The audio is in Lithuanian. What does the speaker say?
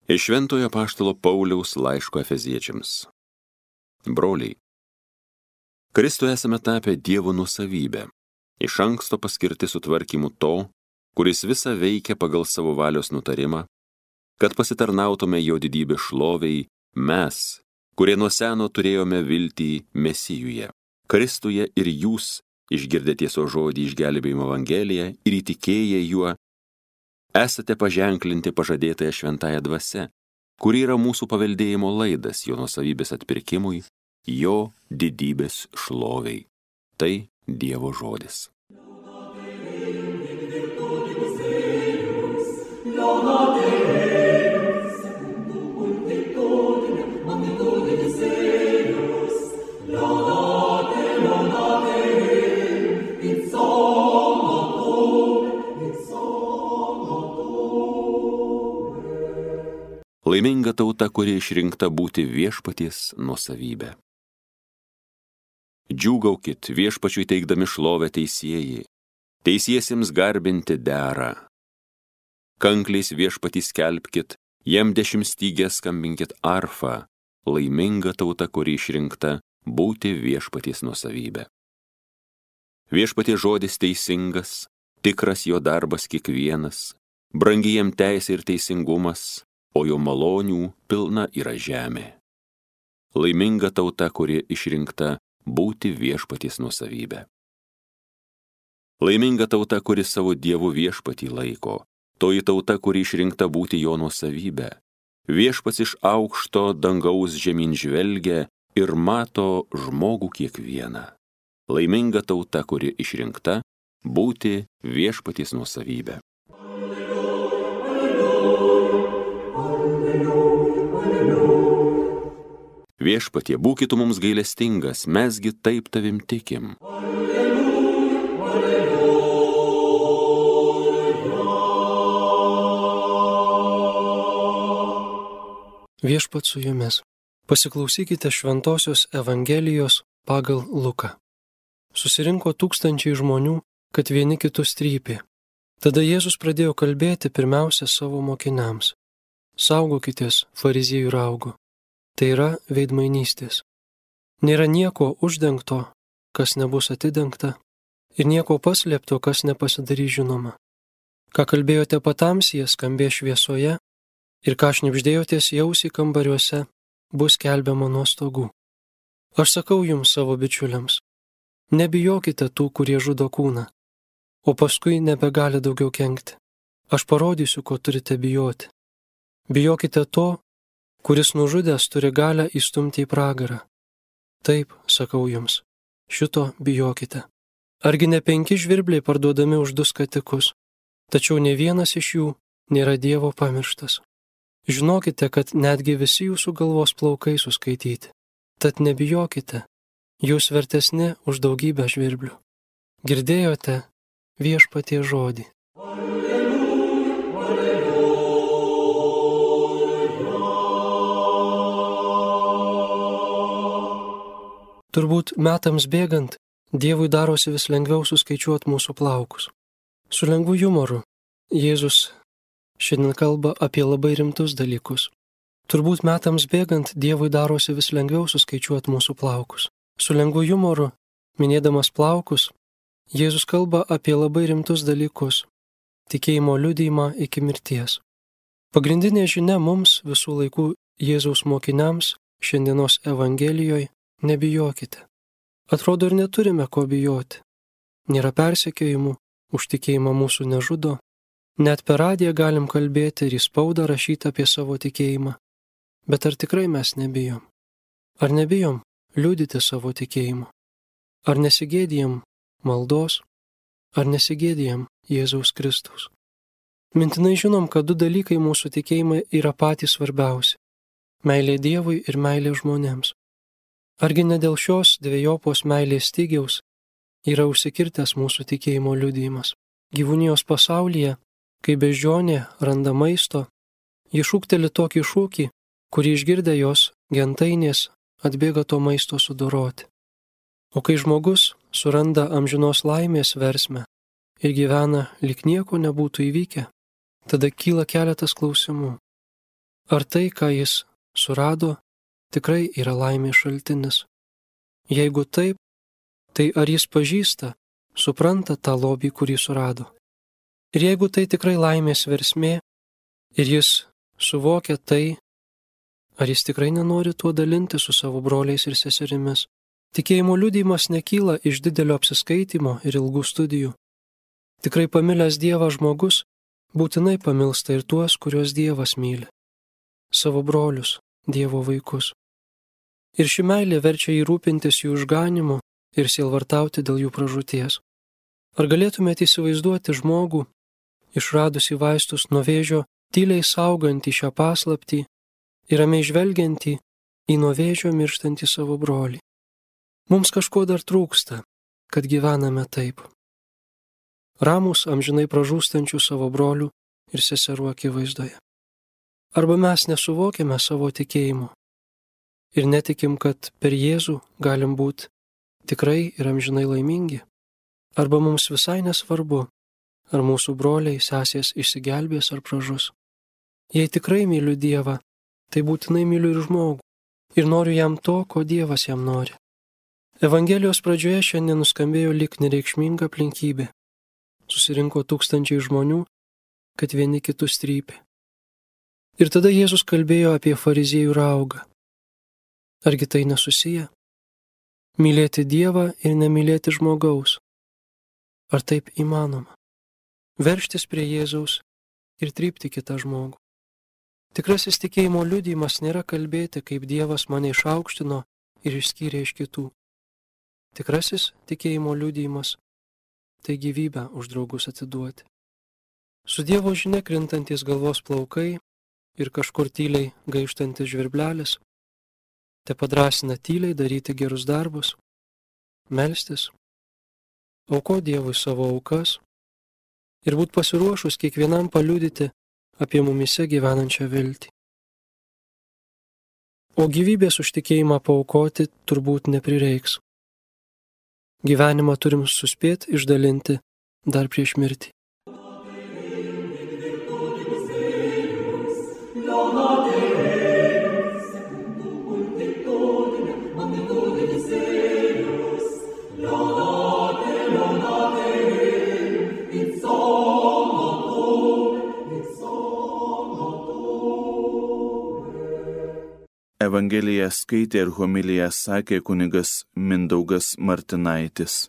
Iš Šventojo apaštalo Pauliaus laiško Efeziečiams. Broliai, Kristuje esame tapę Dievo nuosavybę, iš anksto paskirti sutvarkymu to, kuris visą veikia pagal savo valios nutarimą, kad pasitarnautume jo didybės šloviai mes, kurie nuo seno turėjome viltį Mesijuje, Kristuje ir jūs, išgirdę tiesos žodį išgelbėjimo Evangeliją ir įtikėję juo, esate paženklinti pažadėtąją šventąją dvasią, kuri yra mūsų paveldėjimo laidas jo nuosavybės atpirkimui, jo didybės šloviai. Tai Dievo žodis. Laiminga tauta, kuri išrinkta būti viešpaties nuosavybė. Džiūgaukit viešpačiui teikdami šlovę teisėjai, teisiesiems garbinti dera. Kankliais viešpatį skelbkit, jam 10 stygės skambinkit arfą, laiminga tauta, kuri išrinkta būti viešpaties nuosavybė. Viešpaties žodis teisingas, tikras jo darbas kiekvienas, brangi jam teisė ir teisingumas, o jo malonių pilna yra žemė. Laiminga tauta, kuri išrinkta būti viešpaties nuosavybė. Laiminga tauta, kuri savo Dievu viešpatį laiko, toji tauta, kuri išrinkta būti jo nuosavybė. Viešpats iš aukšto dangaus žemyn žvelgia ir mato žmogų kiekvieną. Laiminga tauta, kuri išrinkta būti viešpaties nuosavybė. Viešpatie, būkit mums gailestingas, mesgi taip tavim tikim. Viešpat su jumis. Pasiklausykite šventosios Evangelijos pagal Luką. Susirinko tūkstančiai žmonių, kad vieni kitus trypė. Tada Jėzus pradėjo kalbėti pirmiausia savo mokiniams. Saugokitės fariziejų raugo. Tai yra veidmainystės. Nėra nieko uždengto, kas nebus atidengta, ir nieko paslėpto, kas nepasidarys žinoma. Ką kalbėjote patamsyje, skambės šviesoje, ir ką šnibždėjotės į ausį kambariuose, bus skelbiama nuo stogų. Aš sakau jums savo bičiuliams, nebijokite tų, kurie žudo kūną, o paskui nebegali daugiau kenkti. Aš parodysiu, ko turite bijoti. Bijokite to, kuris nužudęs turi galią įstumti į pragarą. Taip, sakau jums, šito bijokite. Argi ne 5 žvirbliai parduodami už 2 skatikus, tačiau ne vienas iš jų nėra Dievo pamirštas. Žinokite, kad netgi visi jūsų galvos plaukai suskaityti. Tad nebijokite, jūs vertesni už daugybę žvirblių. Girdėjote viešpaties žodį. Turbūt metams bėgant, Dievui darosi vis lengviau suskaičiuoti mūsų plaukus. Su lengvu jumoru Jėzus šiandien kalba apie labai rimtus dalykus. Turbūt metams bėgant Dievui darosi vis lengviau suskaičiuoti mūsų plaukus. Su lengvu jumoru, minėdamas plaukus, Jėzus kalba apie labai rimtus dalykus – tikėjimo liudijimą iki mirties. Pagrindinė žinia mums visų laikų Jėzaus mokiniams šiandienos Evangelijoje – nebijokite. Atrodo, ir neturime ko bijoti. Nėra persekiojimų, už tikėjimą mūsų nežudo. Net per radiją galim kalbėti ir į spaudą rašyti apie savo tikėjimą. Bet ar tikrai mes nebijom? Ar nebijom liudyti savo tikėjimą? Ar nesigėdijam maldos? Ar nesigėdijam Jėzaus Kristaus? Mintinai žinom, kad 2 dalykai mūsų tikėjimai yra patys svarbiausi – meilė Dievui ir meilė žmonėms. Argi ne dėl šios dvejopos meilės stygiaus yra užsikirtęs mūsų tikėjimo liudijimas? Gyvūnijos pasaulyje, kai beždžionė randa maisto, ji šūkteli tokį šūkį, kurį išgirdę jos gentainės atbėga to maisto sudoroti. O kai žmogus suranda amžinos laimės versmę ir gyvena lyg nieko nebūtų įvykę, tada kyla keletas klausimų. Ar tai, ką jis surado, tikrai yra laimės šaltinis? Jeigu taip, tai ar jis pažįsta, supranta tą lobį, kurį surado? Ir jeigu tai tikrai laimės versmė ir jis suvokia tai, ar jis tikrai nenori tuo dalinti su savo broliais ir seserimis? Tikėjimo liudijimas nekyla iš didelio apsiskaitimo ir ilgų studijų. Tikrai pamilęs Dievą žmogus būtinai pamilsta ir tuos, kuriuos Dievas myli. Savo brolius, Dievo vaikus. Ir ši meilė verčia jį rūpintis jų išganimu ir sielvartauti dėl jų pražūties. Ar galėtumėte įsivaizduoti žmogų, išradusi vaistus nuo vėžio, tyliai saugantį šią paslaptį ir ramiai žvelgiantį į nuo vėžio mirštantį savo brolį? Mums kažko dar trūksta, kad gyvename taip. Ramus amžinai pražūstančių savo brolių ir seserų akivaizdoje. Arba mes nesuvokiame savo tikėjimo ir netikim, kad per Jėzų galim būti tikrai ir amžinai laimingi. Arba mums visai nesvarbu, ar mūsų broliai, sesės išsigelbės ar pražus. Jei tikrai myliu Dievą, tai būtinai myliu ir žmogų ir noriu jam to, ko Dievas jam nori. Evangelijos pradžioje šiandien nuskambėjo lyg nereikšminga aplinkybė. Susirinko tūkstančiai žmonių, kad vieni kitus trypė. Ir tada Jėzus kalbėjo apie fariziejų raugą. Argi tai nesusiję? Mylėti Dievą ir nemylėti žmogaus. Ar taip įmanoma? Veržtis prie Jėzaus ir trypti kitą žmogų. Tikrasis tikėjimo liudijimas nėra kalbėti, kaip Dievas mane išaukštino ir išskyrė iš kitų. Tikrasis tikėjimo liudijimas – tai gyvybę už draugus atiduoti. Su Dievo žinia krintantis galvos plaukai ir kažkur tyliai gaištantis žvirblelis, te padrasina tyliai daryti gerus darbus, melstis, auko Dievui savo aukas ir būt pasiruošus kiekvienam paliudyti apie mumise gyvenančią viltį. O gyvybės už tikėjimą paaukoti turbūt neprireiks. Gyvenimą turim suspėti išdalinti dar prieš mirtį. Evangeliją skaitė ir homiliją sakė kunigas Mindaugas Martinaitis.